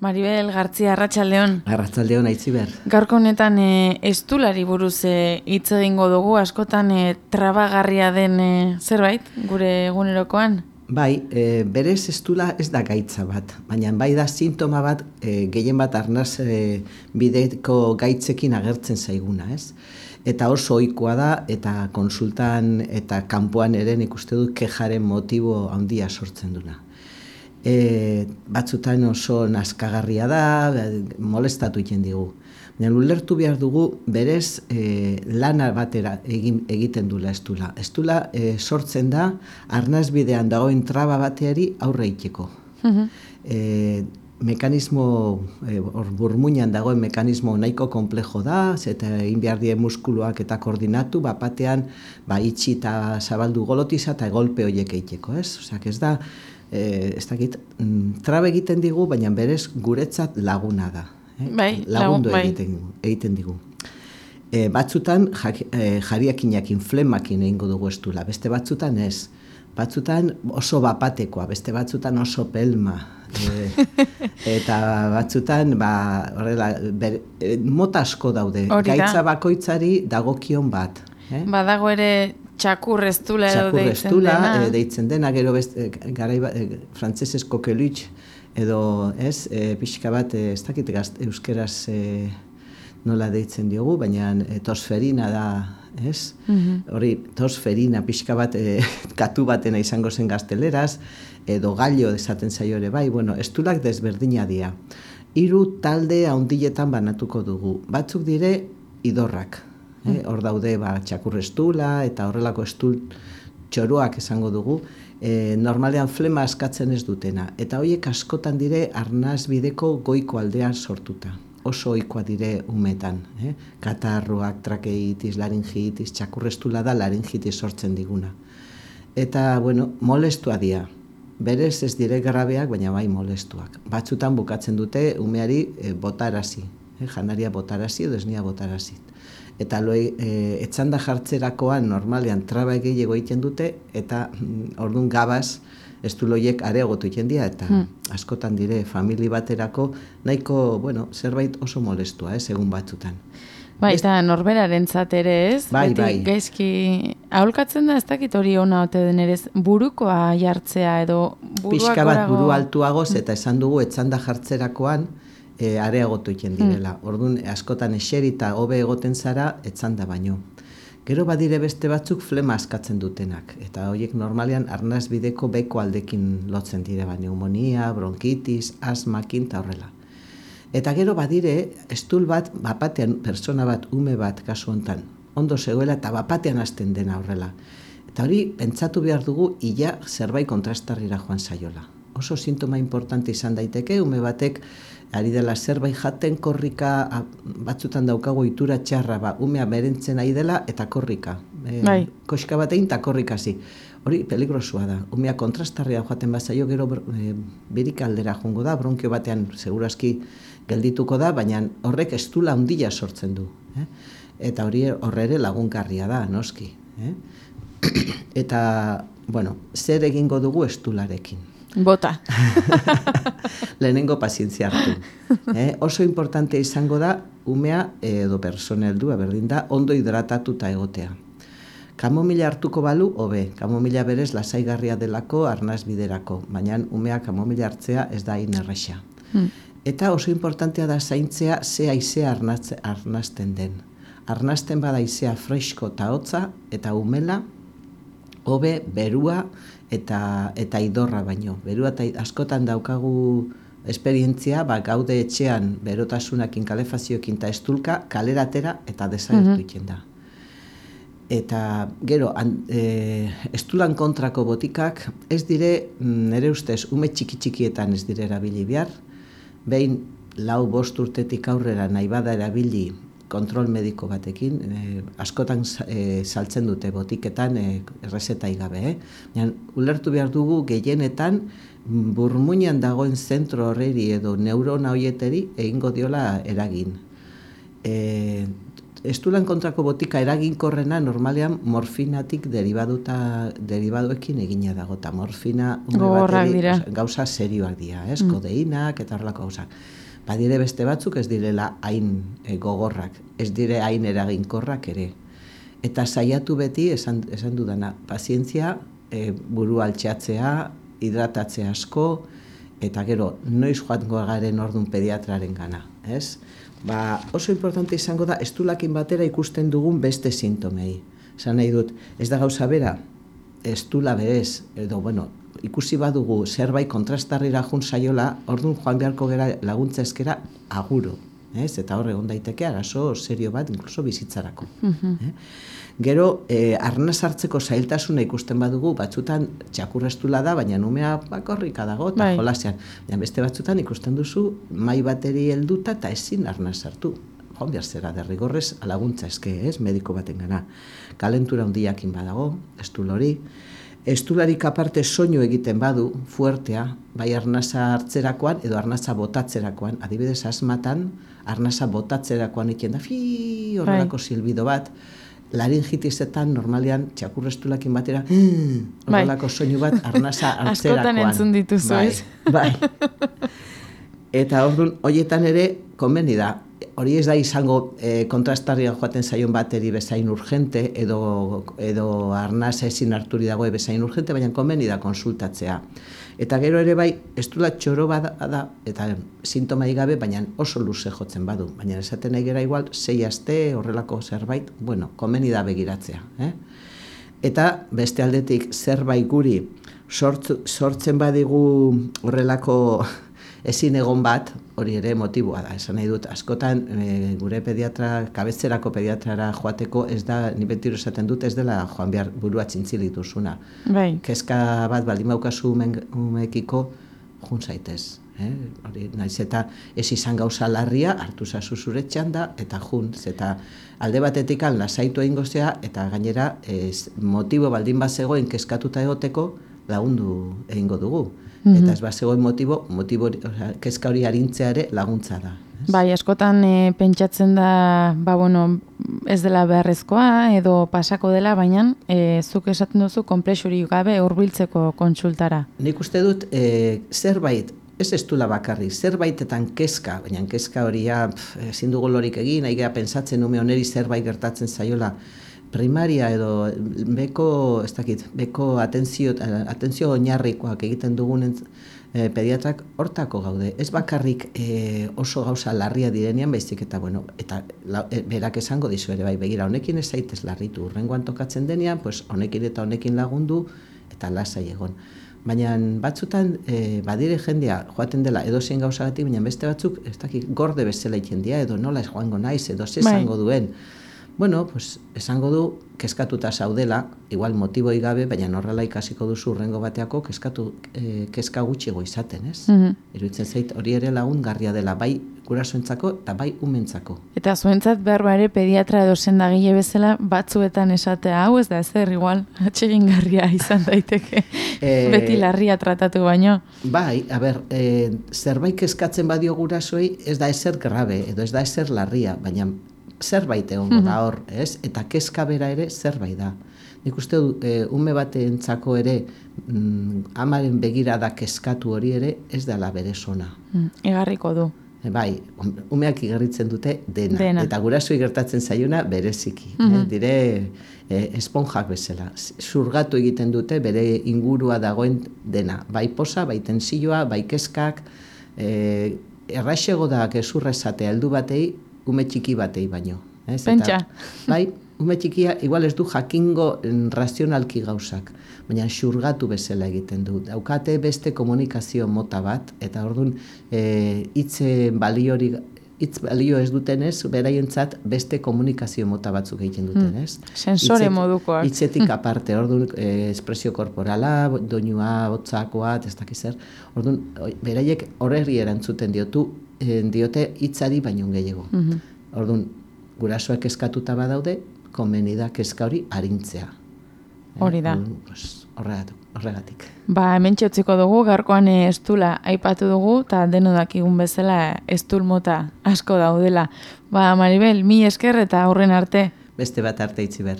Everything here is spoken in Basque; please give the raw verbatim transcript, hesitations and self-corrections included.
Maribel Gartzia, Arratsaldeon. Arratsaldeon, Aitziber. Gaurko honetan e, estulari buruz e, hitz egingo dugu, askotan e, trabagarria den e, zerbait, gure egunerokoan. Bai, e, berez estula ez da gaitza bat, baina bai da sintoma bat e, gehien bat arnaz e, bideko gaitzekin agertzen zaiguna, ez? Eta oso ohikoa da, eta konsultan eta kanpoan ere nik uste dut kejaren motibo handia sortzen duna. E, batzutan oso nazkagarria da, molestatu egiten digu. Baina ulertu behar dugu berez e, lana batera egin, egiten dula estula. Estula e, sortzen da arnazbidean dagoen traba bateari aurre egiteko. Uh-huh. e, mekanismo, e, or, burmuinan dagoen mekanismo nahiko komplejo da, eta egin behar die muskuluak eta koordinatu, bapatean ba, itxi eta zabaldu golotiza eta golpe horiek egiteko, ez? Osak, ez da, e, ez dakit, trabe egiten digu, baina berez guretzat laguna da. Eh? Bai, lagundu bai. egiten, egiten digu. E, batzutan jak, e, jariakinakin, flemakin egingo dugu estula, beste batzutan ez. Batzutan oso bapatekoa, beste batzutan oso pelma. E, eta batzutan, ba, horrela, ber, e, mota asko daude. Hori da. Gaitza bakoitzari dagokion bat. Eh? Badago ere txakurreztula edo deitzen Txakurreztula, dena. e, deitzen dena, gero beste, e, garai, e, frantzesez kokelutx, edo ez, e, pixka bat, e, ez dakit gazt, euskeraz e, nola deitzen diogu, baina e, tosferina da, ez? Uh-huh. Hori, tosferina, pixka bat, e, katu batena izango zen gazteleraz, edo gallo esaten zaio ere bai, bueno, estulak desberdina dira. Hiru talde handiletan banatuko dugu. Batzuk dire idorrak. Eh? Hor daude ba, txakurrestula eta horrelako estul txoroak esango dugu, e, normalean flema askatzen ez dutena. Eta horiek askotan dire arnaz bideko goiko aldean sortuta. Oso ohikoa dire umetan. Eh? Katarroak, trakeitis, laringitis, txakurrestula da laringitis sortzen diguna. Eta, bueno, molestua dira. Berez ez dire grabeak, baina bai molestuak. Batzutan bukatzen dute umeari e, botarazi. Eh? Janaria botarazi edo esnia botarazi. Eta loi, e, etzanda jartzerakoan normalean traba gehiago egiten dute, eta mm, orduan gabaz estuloiek areagotu egiten dira, eta hmm. askotan dire famili baterako nahiko, bueno, zerbait oso molestua, ez, egun batzutan. Bai, eta norberaren ere ez? Bai, Beti bai. Gaizki, aholkatzen da, ez dakit hori ona ote den ere, burukoa jartzea edo buruak Pixka bat gorago... buru altuagoz, eta esan dugu etzanda jartzerakoan, E, areagotu egiten direla. Mm. Orduan, askotan eserita hobe egoten zara, etzanda baino. Gero badire beste batzuk flema askatzen dutenak. Eta horiek normalean arnaz bideko beko aldekin lotzen dire, ba, pneumonia, bronkitis, asmakin eta horrela. Eta gero badire, estul bat, bapatean, persona bat, ume bat, kasu hontan, ondo zegoela eta bapatean hasten dena horrela. Eta hori, pentsatu behar dugu, ia zerbait kontrastarrira joan zaiola. Oso sintoma importante izan daiteke, ume batek ari dela zerbait jaten korrika, a, batzutan daukago itura txarra, ba, umea berentzen ari dela eta korrika. E, bai. Koska batein eta korrikasi. Hori peligrosua da. Umea kontrastarria joaten bazaio gero e, berik aldera jongo da, bronkio batean segurazki geldituko da, baina horrek estula handia sortzen du. Eh? Eta hori horre lagunkarria da, noski. Eh? Eta, bueno, zer egingo dugu estularekin? Bota. Lehenengo pazientzia hartu. Eh? Oso importante izango da, umea edo persona heldua berdin da, ondo hidratatuta egotea. Kamomila hartuko balu, hobe. Kamomila berez lasaigarria delako arnaz biderako, baina umea kamomila hartzea ez da hain erresa. Hmm. Eta oso importantea da zaintzea ze haizea arnazten den. Arnazten bada haizea fresko eta hotza, eta umela, hobe, berua, eta eta idorra baino. Berua eta askotan daukagu esperientzia, ba, gaude etxean berotasunakin, kalefazioekin eta estulka, kaleratera eta desagertu egiten da. Eta gero, an, e, estulan kontrako botikak, ez dire, nire ustez, ume txiki-txikietan ez dire erabili behar, behin lau bost urtetik aurrera nahi bada erabili kontrol mediko batekin, e, askotan e, saltzen dute botiketan e, errezetai gabe. Eh? Baina, ulertu behar dugu gehienetan burmuinan dagoen zentro horreri edo neurona horieteri egingo diola eragin. E, estulan kontrako botika eraginkorrena normalean morfinatik deribaduta, deribaduekin egina dago, eta morfina bateri, gauza serioak dira, ez? Mm. Kodeinak eta horrelako gauzak. Badire beste batzuk ez direla hain e, gogorrak, ez dire hain eraginkorrak ere. Eta saiatu beti, esan, esan dudana, pazientzia, e, buru altxatzea, hidratatzea asko, eta gero, noiz joango garen ordun pediatraren gana, ez? Ba, oso importante izango da, estulakin batera ikusten dugun beste sintomei. Esan nahi dut, ez da gauza bera, estula berez, edo, bueno, ikusi badugu zerbait kontrastarrira jun saiola, orduan joan beharko gera laguntza eskera aguro. Ez? Eta hor egon daiteke arazo serio bat, inkluso bizitzarako. Uh-huh. eh? Gero, eh, arnaz hartzeko zailtasuna ikusten badugu, batzutan txakurrestula da, baina numea bakorrika dago, eta bai. Jolasean. Baina beste batzutan ikusten duzu, mai bateri helduta eta ezin arnaz hartu. Joan behar zera, derrigorrez, alaguntza eske, ez, mediko baten gana. Kalentura hundiakin badago, estul hori. Estularik aparte soinu egiten badu, fuertea, bai arnaza hartzerakoan edo arnaza botatzerakoan, adibidez asmatan, arnaza botatzerakoan egiten da, fi, horrelako bai. Silbido bat, laringitisetan normalean txakurrestulakin batera, horrelako bai. Soinu bat arnaza hartzerakoan. Askotan entzun dituzu, bai, ez? Bai. Eta orduan, horietan ere, konbeni da, hori ez da izango e, kontrastarria joaten zaion bateri bezain urgente, edo, edo arnaz ezin harturi dagoe bezain urgente, baina konbeni da konsultatzea. Eta gero ere bai, estula txoro bada da, eta sintomai gabe, baina oso luze jotzen badu. Baina esaten nahi gera igual, sei aste horrelako zerbait, bueno, konbeni da begiratzea. Eh? Eta beste aldetik zerbait guri sort, sortzen badigu horrelako ezin egon bat, hori ere motiboa da. Esan nahi dut, askotan e, gure pediatra, kabetzerako pediatrara joateko ez da, ni betiro esaten dut, ez dela joan behar burua txintzilik duzuna. Bai. Kezka bat baldin baukazu umekiko, jun zaitez. Eh? Hori, naiz eta ez izan gauza larria, hartu zazu zure txanda, eta jun, eta alde batetik lasaitu egingo zea, eta gainera ez, motibo baldin bat zegoen kezkatuta egoteko lagundu egingo dugu. Mm-hmm. Eta ez bat zegoen motibo, motibo oza, kezka hori arintzea ere laguntza da. Ez? Bai, askotan e, pentsatzen da, ba, bueno, ez dela beharrezkoa edo pasako dela, baina e, zuk esaten duzu konplexurik gabe hurbiltzeko kontsultara. Nik uste dut e, zerbait, ez ez dula bakarri, zerbaitetan kezka, baina kezka hori ja, ezin dugu lorik egin, nahi gara pentsatzen ume oneri zerbait gertatzen zaiola, primaria edo beko, ez dakit, beko atentzio, atentzio oinarrikoak egiten dugunen e, pediatrak hortako gaude. Ez bakarrik e, oso gauza larria direnean, baizik eta, bueno, eta la, e, berak esango dizu ere, bai, begira, honekin ez zaitez larritu, urrengoan tokatzen denean, pues, honekin eta honekin lagundu, eta lasai egon. Baina batzutan e, badire jendea joaten dela edozein gauzagatik, baina beste batzuk, ez dakit, gorde bezala egiten dira, edo nola ez joango naiz, edo ze esango duen. Bueno, pues, esango du, kezkatuta zaudela, igual motiboi gabe, baina horrela ikasiko duzu urrengo bateako kezkatu, e, kezka gutxigo izaten, ez? Mm-hmm. Iruditzen zait, hori ere lagungarria dela, bai gurasoentzako eta bai umentzako. Eta zuentzat behar ere pediatra edo sendagile bezala batzuetan esatea, hau ez da ezer, igual, atsegingarria izan daiteke, e, beti larria tratatu baino. Bai, a ber, e, zerbait kezkatzen badio gurasoei, ez da ezer grabe, edo ez da ezer larria, baina zerbait egongo da hor, ez? Eta kezka bera ere zerbait da. Nik uste du, e, ume batentzako ere mm, amaren begirada kezkatu hori ere ez dela bere sona. Mm, egarriko du. E, bai, umeak igarritzen dute dena. dena. Eta gurasoi gertatzen zaiuna bereziki. Mm-hmm. eh? Dire e, esponjak bezala. Zurgatu egiten dute bere ingurua dagoen dena. Bai posa, bai tensioa, bai kezkak. E, erraixego da gezurra esatea heldu batei, ume txiki batei baino. Ez? Pentsa. Eta, bai, ume txikia igual ez du jakingo razionalki gauzak, baina xurgatu bezala egiten du. Daukate beste komunikazio mota bat, eta orduan e, hitze baliori, hitz balio ez dutenez, beraientzat beste komunikazio mota batzuk egiten duten, ez? Hmm. Sensore Itzet, modukoak. Hitzetik aparte, orduan e, espresio korporala, doinua, hotzakoa, ez dakiz zer. Orduan, beraiek horreri erantzuten diotu, diote hitzari baino gehiago. Mm-hmm. Orduan, gurasoak kezkatuta badaude, komeni da kezka hori arintzea. Hori da. Eh, pues, horregatik. Ba, hemen txotziko dugu, gaurkoan estula aipatu dugu, eta deno dakigun bezala estul mota asko daudela. Ba, Maribel, mi esker eta aurren arte. Beste bat arte itzi ber.